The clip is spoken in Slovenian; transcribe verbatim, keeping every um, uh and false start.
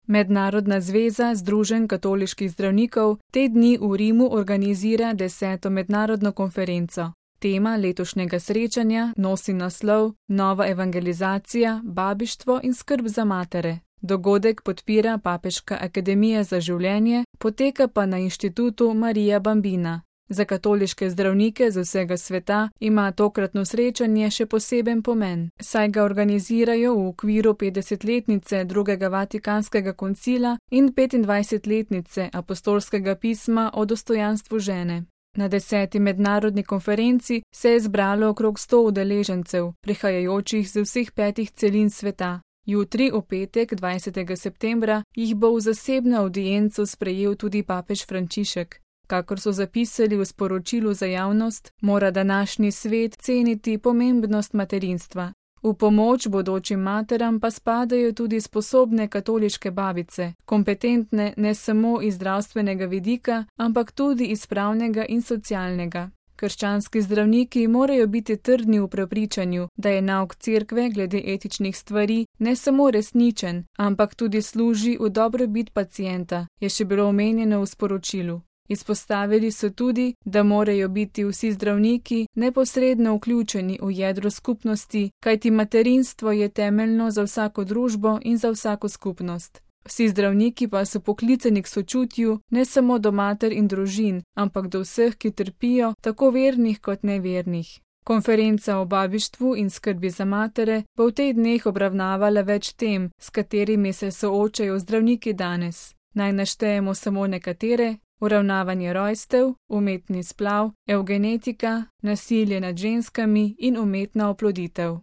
Mednarodna zveza združenj katoliških zdravnikov te dni v Rimu organizira deseto mednarodno konferenco. Tema letošnjega srečanja nosi naslov Nova evangelizacija, babištvo in skrb za matere. Dogodek podpira Papeška akademija za življenje, poteka pa na inštitutu Marija Bambina. Za katoliške zdravnike z vsega sveta ima tokratno srečanje še poseben pomen, saj ga organizirajo v okviru petdesetletnice drugega Vatikanskega koncila in petindvajsetletnice apostolskega pisma o dostojanstvu žene. Na deseti mednarodni konferenci se je zbralo okrog sto udeležencev, prihajajočih z vseh petih celin sveta. Jutri, v petek, dvajsetega septembra, jih bo v zasebno avdienco sprejel tudi papež Frančišek. Kakor so zapisali v sporočilu za javnost, mora današnji svet ceniti pomembnost materinstva. V pomoč bodočim materam pa spadajo tudi sposobne katoliške babice, kompetentne ne samo iz zdravstvenega vidika, ampak tudi iz pravnega in socialnega. Krščanski zdravniki morajo biti trdni v prepričanju, da je nauk cerkve glede etičnih stvari ne samo resničen, ampak tudi služi v dobrobit pacienta, je še bilo omenjeno v sporočilu. Izpostavili so tudi, da morajo biti vsi zdravniki neposredno vključeni v jedro skupnosti, kajti materinstvo je temeljno za vsako družbo in za vsako skupnost. Vsi zdravniki pa so poklicani k sočutju ne samo do mater in družin, ampak do vseh, ki trpijo, tako vernih kot nevernih. Konferenca o babištvu in skrbi za matere bo v tej dneh obravnavala več tem, s katerimi se soočajo zdravniki danes. Naj naštejemo samo nekatere: uravnavanje rojstev, umetni splav, evgenetika, nasilje nad ženskami in umetna oploditev.